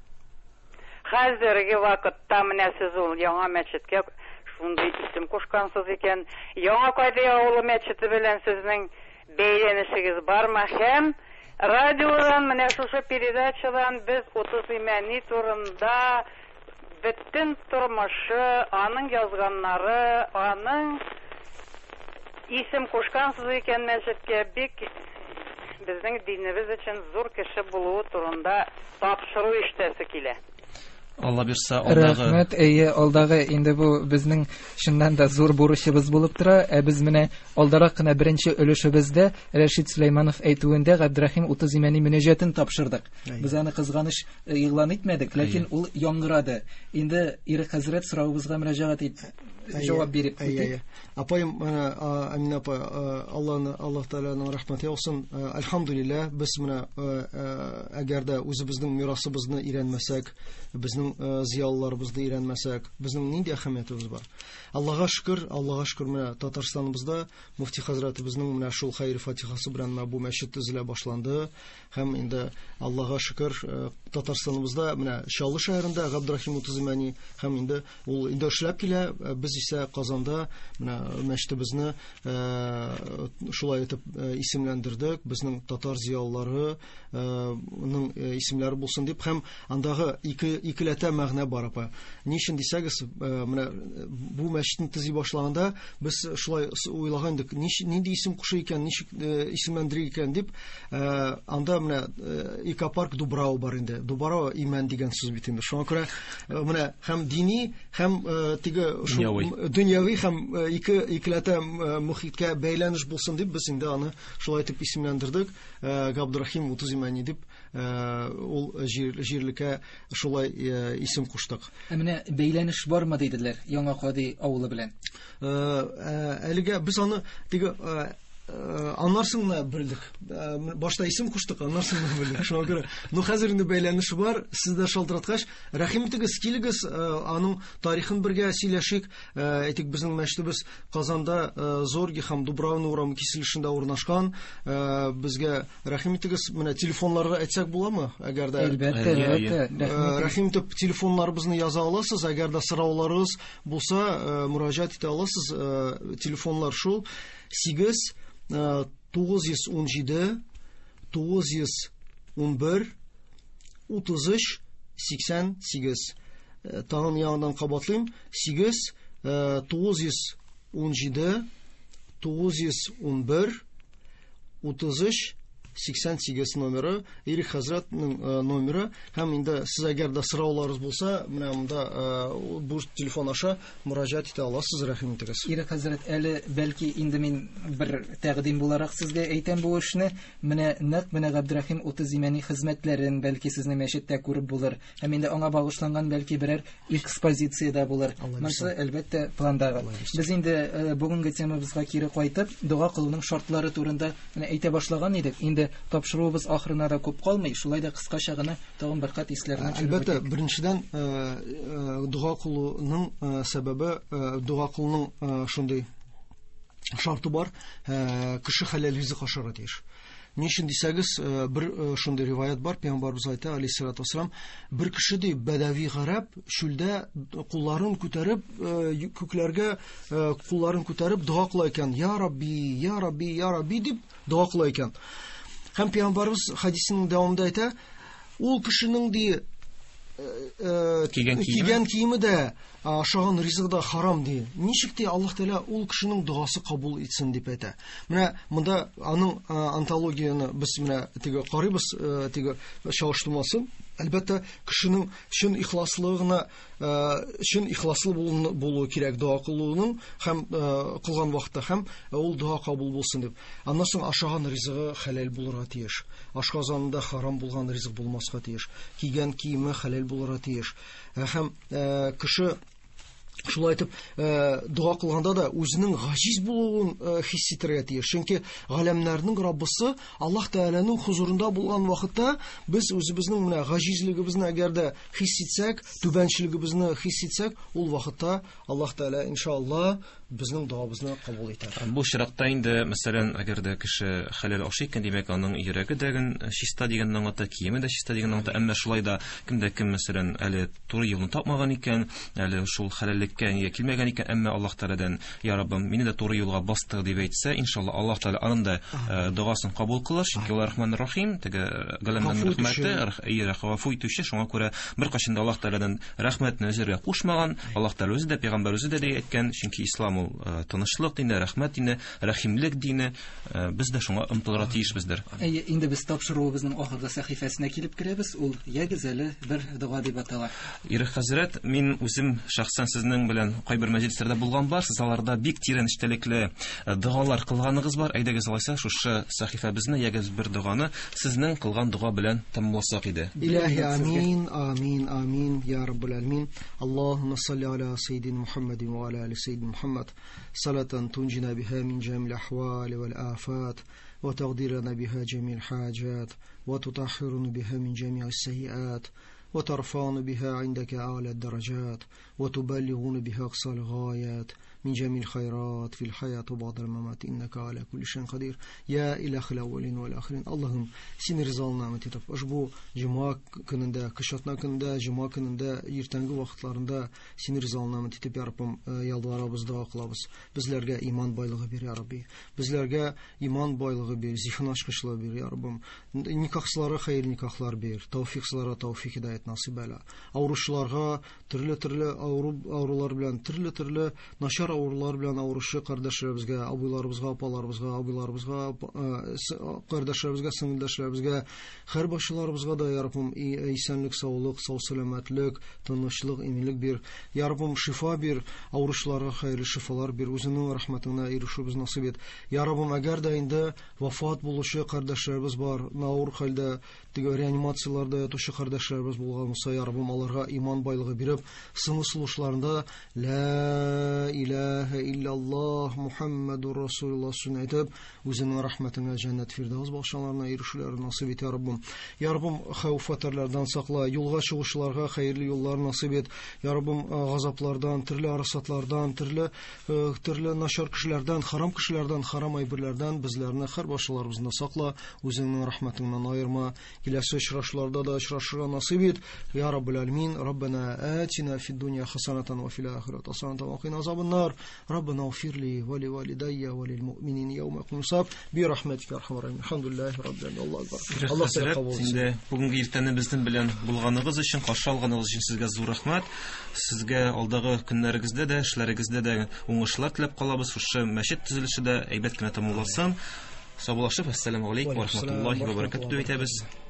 Хәзерге вакытта менә сез ул яңа мәчеткә шундый исем кушкансыз икән. Яңа Кади авылы мәчете белән сезнең бәйләнешегез бармы? Һәм радиодан менә шушы передачадан без Утызимәнни турында бөтен тормышы, аның язганнары, аның исем кушкансыз икән мәчеткә, бик безнең динебез өчен зур кеше булуы турында тапшыру ишетәсе килә. Алла бирса, алдагы Рәхмәт, әйе, алдагы инде бу безнең чыннан да зур бурычыбыз булып тора. Ә без менә алдарак кына беренче өлешебездә Рәшит Сөләйманов әйтүендә Габдрахим Утызимәни мөнәҗәтен тапшырдык. Без аны кызганыч игълан итмәдек, ләкин ул яңгырады. Инде Ирек хәзрәт соравыбызга мөрәҗәгать ит, җавап биреп китик. Апаем, менә Әминә апа, Аллаһны, Аллаһ Тәгаләнең рәхмәте яусын. Әлхәмдүлилләһ, без менә әгәр дә үзебезнең мирасыбызны өйрәнмәсәк, безнең зыялыларыбызны өйрәнмәсәк, безнең нинди әһәмиятебез бар? Аллаһка шөкер, Аллаһка шөкер, менә Татарстаныбызда муфти хәзрәтебезнең менә шул хәер фатихасы белән менә бу мәчет төзелә башланды. Һәм инде Аллаһка шөкер, Татарстаныбызда менә Чаллы шәһәрендә Габдрахим Утызимәни һәм инде ул инде эшләп килә. Без Без исә Казанда менә мәчетебезне шулай итеп исемләндердек. Безнең татар зыялылары ның исемнәре булсын дип, һәм андагы икеләтә мәгънә бар, апа. Ни өчен дисәгез, менә бу мәчетне төзи башлаганда без шулай уйлаган идек, нинди исем кушу икән, ничек исемләндерик икән дип, анда менә экопарк Дубрау бар инде. Дубрау имән дигән сүз бит инде. Шуңа күрә менә һәм дини, һәм теге дөньяви һәм икеләтә мөхиткә бәйләнеш булсын дип без инде аны шулай итеп исемләндердек. Габдрахим Утыз Имәни дип ул җирлеккә шулай исем куштык. Ә менә бәйләнеш бармы диделәр Яңа Кади авылы белән? Әлегә без аны теге аннан соң гына белдек. Башта исем куштык, аннан соң гына белдек. Шуңа күрә, ну хәзер инде бәйләнеш бар. Сез дә шалтыраткач, рәхим итегез, килегез, аның тарихын бергә сөйләшик. Әйтик, безнең мәчетебез Казанда Зорги һәм Дубравна урамы киселешендә урнашкан. Безгә рәхим итегез. Менә телефоннарга әйтсәк буламы? Әгәр дә Әлбәттә, әлбәттә. Рәхим итеп телефоннарыбызны яза аласыз. Әгәр дә сорауларыгыз булса, мөрәҗәгать итә аласыз. Телефоннар шул: 8 917 911 33 88. Тагын яңадан кабатлыйм: 8 917 911 33 88 номеры, Ирек хәзрәтнең номеры. Һәм инде сез әгәр дә сорауларыгыз булса, менә монда бу телефон аша мөрәҗәгать итә аласыз, рәхим итегез. Ирек хәзрәт, әле бәлки инде мин бер тәкъдим буларак сезгә әйтәм бу эшне. Менә нәкъ менә Габдрахим Утыз Имәни хезмәтләрен бәлки сезнең мәчеттә күреп булыр. Һәм инде аңа багышланган бәлки берәр экспозиция дә булыр. Монысы әлбәттә пландагы. Без инде бүгенге темабызга кире кайтып, дога кылуның шартлары турында менә әйтә башлаган идек. Инде тапшыруыбыз ахырына да күп калмый, шулай да кыскача гына тагын бер кат исләренә төшереп. Әлбәттә, беренчедән, дога кылуның сәбәбе, дога кылуның шундый шарты бар, кеше хәләл ризык ашарга тиеш. Ни өчен дисәгез, бер шундый риваят бар, пәйгамбәребез әйтә, алейһиссалату вассалам, бер кеше ди, бәдәви гарәп чүлдә кулларын күтәреп, күкләргә кулларын күтәреп дога кыла икән. Я Рабби, я Рабби, я Рабби дип дога кыла икән. Һәм пәйгамбәребез хәдисенең дәвамында әйтә, ул кешенең ди кигән киеме дә, ашаган ризыгы да харам ди. Ничек ди Аллаһ Тәгалә ул кешенең догасы кабул итсен дип әйтә. Менә монда аның антологияне без менә теге карыйбыз, теге чагыштырмасын. Әлбәттә, кешенең чын ихласлыгына, чын ихласлы булуы кирәк дога кылуның һәм кылган вакытта һәм ул дога кабул булсын дип. Аннан соң ашаган ризыгы хәләл булырга тиеш. Ашказанында харам булган ризык булмаска тиеш. Кигән киеме хәләл булырга тиеш. Һәм кеше шулай итеп дога кылганда да үзенең гаҗиз булуын хис итәргә тиеш. Чөнки галәмнәрнең Раббысы Аллаһ Тәгаләнең хузурында булган вакытта без үзебезнең менә гаҗизлегебезне әгәр дә хис итсәк, түбәнчелегебезне хис итсәк, ул вакытта Аллаһ Тәгалә иншалла безнең догабызны кабул итәр. Бу очракта инде, мәсәлән, әгәр дә кеше хәләл ашый икән, димәк, аның йөрәге дә чиста дигәнне аңлата, киеме дә чиста дигәнне аңлата. Әмма шулай да кемдә кем, мәсәлән, әле туры юлны тапмаган икән, әле шул хәләллеккә нигә килмәгән икән, әмма Аллаһ Тәгаләдән, я Раббым, мине дә туры юлга бастыр дип әйтсә, иншалла Аллаһ Тәгалә аның да догасын кабул кылыр, чөнки ул Рахман Рахим, теге галәмнәрнең рәхмәте, гафу итүче, шуңа күрә беркайчан да Аллаһ Тәгаләдән рәхмәтне өзәргә кушмаган. Аллаһ Тәгалә үзе дә, пәйгамбәр үзе дә әйткән, чөнки ислам ул тынычлык дине, рәхмәт дине, рәхимлек дине, без дә шуңа омтылырга тиешбездер. Әйе, инде без тапшыруыбызның ахыргы сәхифәсенә килеп керәбез. Ул ягез әле бер дога дип атала. Ирек хәзрәт, мин үзем шәхсән сезнең белән кайбер мәҗлесләрдә булган бар, сез аларда бик тирән эчтәлекле догалар кылганыгыз бар. Әйдәгез алайса шушы сәхифәбезне, ягез бер доганы сезнең кылган дога белән тәмамласак иде. Илаһи амин, амин, амин, я Раббул алямин. Аллаһумма салли аля саййидина Мухаммадин ва аля али саййидина Мухаммад. Салатан тунҗина биха мин җамил ахвали вал афат ва тагдирана биха җамил хаҗат ва тутаххируна биха мин җами'ис сайyiат وترفعنا بها عندك أعلى الدرجات وتبلغنا بها أقصى الغايات من جميع الخيرات في الحياة وبعد الممات إنك على كل شيء قدير يا إله الأولين والآخرين. Allah'ım син ризалığına ümit etip ошбу жума көнендә, кыш атна көнендә, жума көнендә, иртәнге вакытларында син ризалığına ümit итеп, я Раббым, ялварабыз, дога кылабыз. Безләргә иман байлыгы бир, я Рабби. Безләргә иман байлыгы бир, зиһен ачкычлыгы бир, я Раббым. Никахсызларга хәерле никахлар бир, тәүфиксызларга тәүфик һидаят насыйп әйлә. Авыручыларга төрле-төрле авыру авырулар белән, төрле-төрле начар авырулар белән авыручы кардәшләребезгә, абыйларыбызга, апаларыбызга, абыйларыбызга, кардәшләребезгә, сеңелдәшләребезгә, һәр башчыларыбызга да, я Раббым, исәнлек, саулык, сау сәламәтлек, тынычлык, иминлек бир. Я Раббым, шифа бир, авыручыларга хәерле шифалар бир, үзеңнең рәхмәтеңә ирешүебез насыйп ит. Я Раббым, әгәр дә инде вафат булучы кардәшләребез бар, авыр хәлдә, теге реанимацияләрдә ятучы кардәшләребез булган булса, я Раббым, аларга иман байлыгы биреп, соңгы сулышларында ла илаһа иллаллаһ Мухаммадур Расулуллаһ сүзен әйтеп, үзеңнең рәхмәтеңә җәннәт фирдәүс бакчаларына ирешүләрен насыйп ит, я Раббым. Я Раббым, хәвеф-хәтәрләрдән сакла, юлга чыгучыларга хәерле юллар насыйп ит. Я Раббым, газаплардан, төрле арасатлардан, төрле начар кешеләрдән, харам кешеләрдән, харам әйберләрдән безләрне һәр башчыларыбызны сакла, үзеңнең рәхмәтеңнән аерма. Киләсе очрашуларда да очрашырга насыйп ит. Я Раббул Алямин, Раббана атина фид дунья хасанатан ва фил ахирати хасанатан ва кина азабан нар. Раббана уфир ли ва ли валидайя ва лил муъминин яума якумус хисаб би рахматика я архамар рахимин. Алхамдулиллахи раббил аламин. Аллаһу акбар. Аллаһ сине кабул итсен. Инде бүгенге иртәне безнең белән булганыгыз өчен, каршы алганыгыз өчен сезгә зур рәхмәт. Сезгә алдагы көннәрегездә дә, эшләрегездә дә уңышлар теләп калабыз. Шушы мәчет төзелеше дә әйбәт кенә тәмамлансын. Саубуллашып, ассаламу алейкум ва рахматуллахи ва баракатуһ дип әйтәбез.